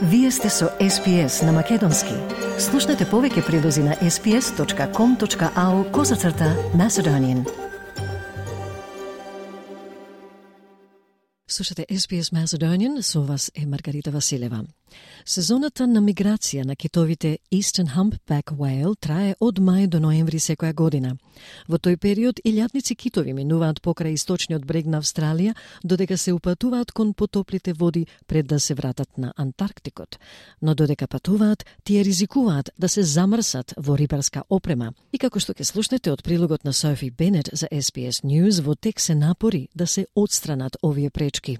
Вие сте со SPS на Македонски. Слушнете повеќе прилози на sps.com.au/Macedonian. Слушате SPS Macedonian, со вас е Маргарита Василева. Сезоната на миграција на китовите Eastern Humpback Whale трае од мај до ноември секоја година. Во тој период илјадници китови минуваат покрај источниот брег на Австралија, додека се упатуваат кон потоплите води пред да се вратат на Антарктикот. Но додека патуваат, тие ризикуваат да се замрсат во рибарска опрема. И како што ќе слушнете од прилогот на Софи Бенет за SPS News, во тек се напори да се отстранат овие пречки.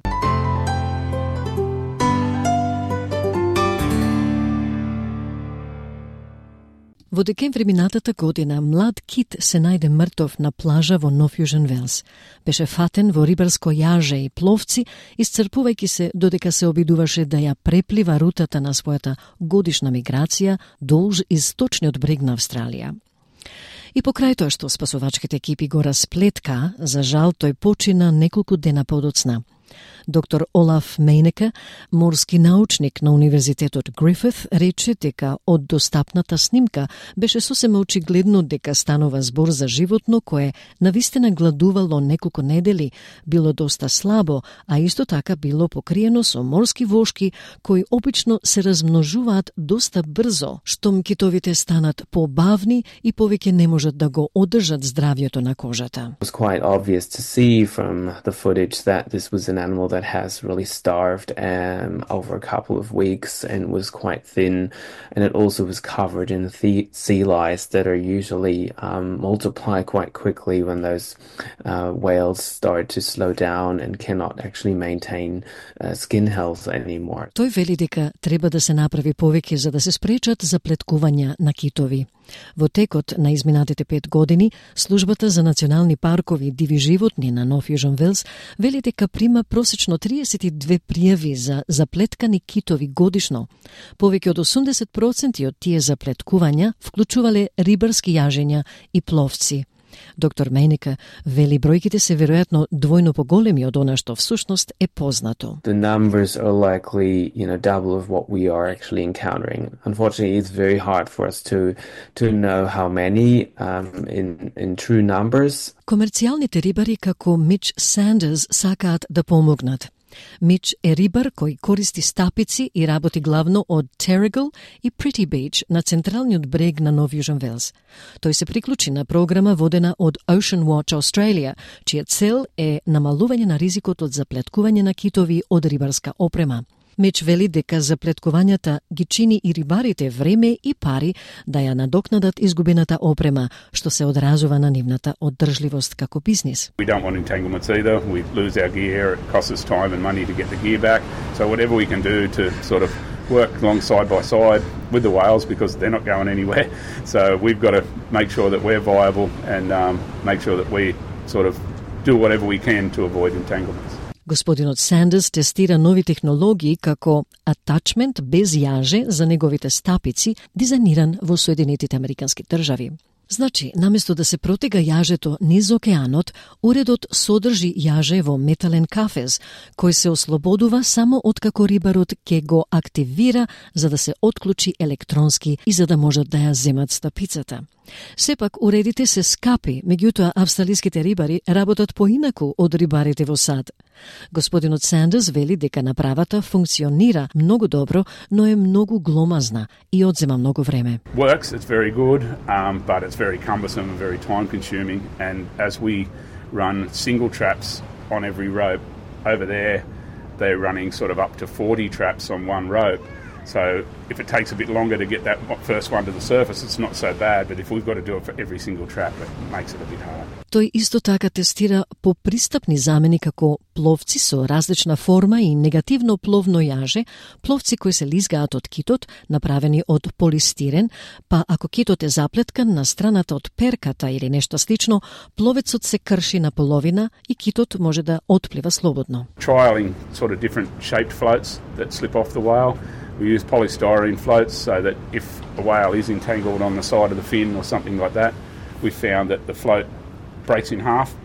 Во декември минатата година, млад кит се најде мртов на плажа во Нов Јужен Велс. Беше фатен во рибарско јаже и пловци, исцрпувајќи се додека се обидуваше да ја преплива рутата на својата годишна миграција долж источниот брег на Австралија. И покрај тоа што спасувачките екипи го расплетка, за жал тој почина неколку дена подоцна. Доктор Олаф Мейнеке, морски научник на Универзитетот Грифит, рече дека од достапната снимка беше сосема очигледно дека станува збор за животно кое навистина гладувало неколку недели, било доста слабо, а исто така било покриено со морски вошки кои обично се размножуваат доста брзо, штом китовите станат побавни и повеќе не можат да го одржат здравјето на кожата. It was quite obvious to see from the footage that this was an animal that has really starved over a couple of weeks and was quite thin, and it also was covered in sea lice that are usually multiply quite quickly when those whales start to slow down and cannot actually maintain skin health anymore. Тој вели дека треба да се направи повеќе за да се спречат заплеткувања на китови. Во текот на изминатите 5 години, Службата за национални паркови и диви животни на Нов Јужен Велс вели дека прима просечно 32 пријави за заплеткани китови годишно. Повеќе од 80% од тие заплеткувања вклучувале рибарски јажења и пловци. Доктор Мейнеке вели бројките се веројатно двојно поголеми од она што всушност е познато. The numbers are likely, double of what we are actually encountering. Unfortunately, it's very hard for us to know how many in true numbers. Комерцијалните рибари како Мич Сандерс сакаат да помогнат. Мич е рибар кој користи стапици и работи главно од Terrigal и Pretty Beach на централниот брег на Нов Јужен Велс. Тој се приклучи на програма водена од Ocean Watch Australia, чија цел е намалување на ризикот од заплеткување на китови од рибарска опрема. Мич вели дека заплеткувањата ги чини и рибарите време и пари да ја надокнадат изгубената опрема, што се одразува на нивната оддржливост како бизнис. We don't want entanglements either. We lose our gear, it costs us time and money to get the gear back. So whatever we can do to sort of work along side by side with the whales because they're not going anywhere. So we've got to make sure that we're viable and make sure that we sort of do whatever we can to avoid entanglements. Господинот Сандерс тестира нови технологии како атачмент без јаже за неговите стапици, дизајниран во Соединетите Американски држави. Значи, наместо да се протега јажето низ океанот, уредот содржи јаже во метален кафез, кој се ослободува само откако рибарот ќе го активира за да се отклучи електронски и за да можат да ја земат стапицата. Сепак, уредите се скапи, меѓутоа австралиските рибари работат поинаку од рибарите во САД. Господинот Сандерс вели дека направата функционира многу добро, но е многу гломазна и одзема многу време. Works, it's very good, but it's very cumbersome and very time consuming, and as we run single traps on every rope, over there they're running sort of up to 40 traps on one rope. So if it takes a bit longer to get that first one to the surface, it's not so bad, but if we've got to do it for every single trap, it makes it a bit hard. Тој исто така тестира попристапни замени како пловци со различна форма и негативно пловно јаже, пловци кои се лизгаат од китот, направени од полистирен, па ако китот е заплеткан на страната од перката или нешто слично, пловецот се крши на половина и китот може да отплива слободно. Trialing sort of different shaped floats that slip off the whale. We use polystyrene floats so that if a whale is entangled on the side of the fin or something like that, we found that the float breaks in half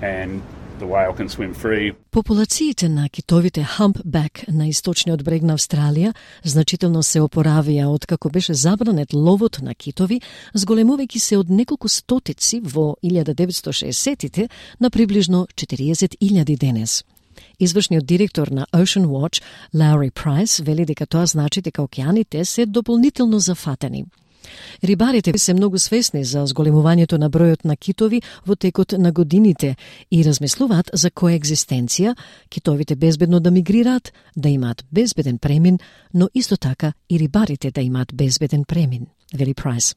and the whale can swim free. Популациите на китовите humpback на источниот брег на Австралија значително се опоравија откако беше забранет ловот на китови, зголемувајќи се од неколку стотици во 1960-тите на приближно 40.000 денес. Извршниот директор на Ocean Watch, Lowry Price, вели дека тоа значи дека океаните се дополнително зафатени. Рибарите се многу свесни за зголемувањето на бројот на китови во текот на годините и размислуваат за коегзистенција, китовите безбедно да мигрираат, да имаат безбеден премин, но исто така и рибарите да имаат безбеден премин. Veli Price.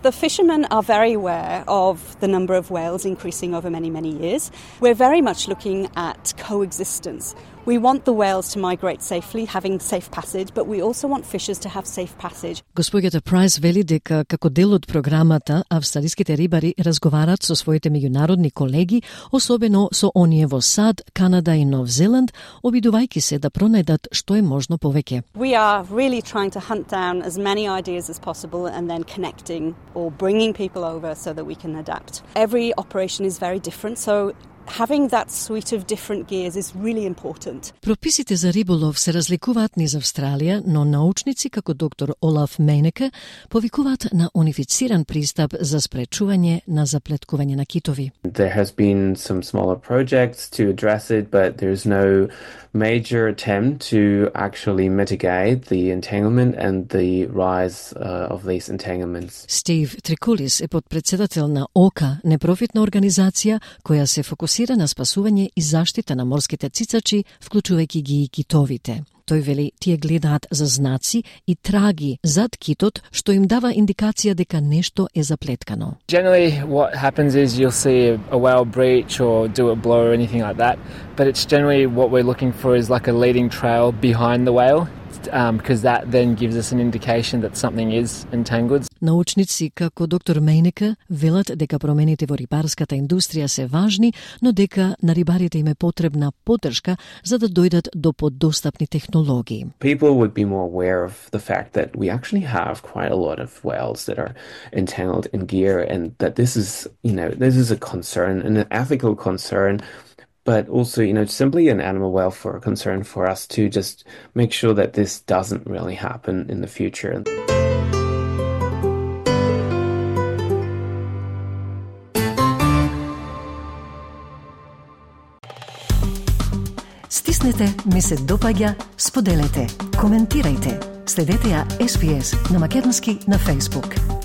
The fishermen are very aware of the number of whales increasing over many, many years. We're very much looking at coexistence. We want the whales to migrate safely, having safe passage, but we also want fishers to have safe passage. Господјата Прайс вели дека како дел од програмата австралиските рибари разговараат со своите меѓународни колеги, особено со оние во САД, Канада и Нов Зеланд, обидувајќи се да пронајдат што е можно повеќе. We are really trying to hunt down as many ideas as possible and then connecting or bringing people over so that we can adapt. Every operation is very different, so having that suite of different gears is really important. Прописите за риболов се разликуваат низ Австралија, но научници како доктор Олаф Мейнеке повикуваат на унифициран пристап за спречување на заплеткување на китови. There has been some smaller projects to address it, but there's no major attempt to actually mitigate the entanglement and the rise of these entanglements. Стив Трикулис е подпредседател на ОКА, непрофитна организација која се фокусира на спасување и заштита на морските цицачи, вклучувајќи ги и китовите. Тој вели, тие гледаат за знаци и траги зад китот, што им дава индикација дека нешто е заплеткано. Generally, what happens is you'll see a whale breach or do it blow or anything like that, but it's generally what we're looking for is like a leading trail behind the whale, because that then gives us an indication that something is entangled. Научници како доктор Мейнека велат дека промените во рибарската индустрија се важни, но дека на рибарите им е потребна поддршка за да дојдат до подостапни технологии. People would be more aware of the fact that we actually have quite a lot of whales that are entangled in gear, and that this is a concern, an ethical concern. But also, simply an animal welfare concern for us to just make sure that this doesn't really happen in the future. Стиснете, ми се допаѓа, споделете, коментирајте. Следете ја SPS на македонски на Facebook.